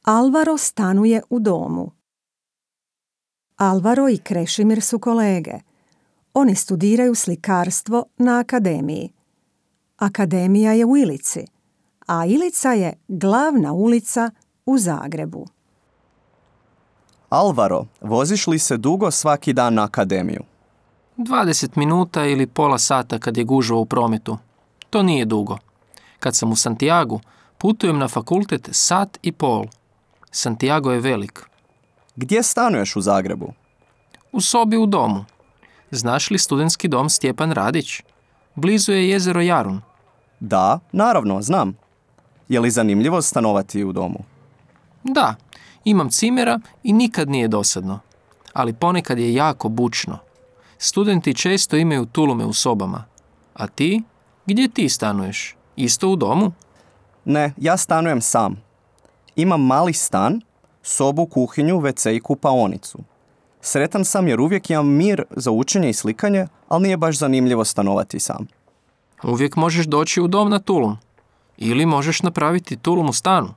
Alvaro stanuje u domu. Alvaro i Krešimir su kolege. Oni studiraju slikarstvo na akademiji. Akademija je u Ilici, a Ilica je glavna ulica u Zagrebu. Alvaro, voziš li se dugo svaki dan na akademiju? 20 minuta ili pola sata kad je gužva u prometu. To nije dugo. Kad sam u Santiagu, putujem na fakultet 1,5 sata. Santiago je velik. Gdje stanuješ u Zagrebu? U sobi u domu. Znaš li studentski dom Stjepan Radić? Blizu je jezero Jarun. Da, naravno, znam. Je li zanimljivo stanovati u domu? Da, imam cimera i nikad nije dosadno. Ali ponekad je jako bučno. Studenti često imaju tulume u sobama. A ti? Gdje ti stanuješ? Isto u domu? Ne, ja stanujem sam. Imam mali stan, sobu, kuhinju, WC i kupaonicu. Sretan sam jer uvijek imam mir za učenje i slikanje, ali nije baš zanimljivo stanovati sam. Uvijek možeš doći u dom na tulum. Ili možeš napraviti tulum u stanu.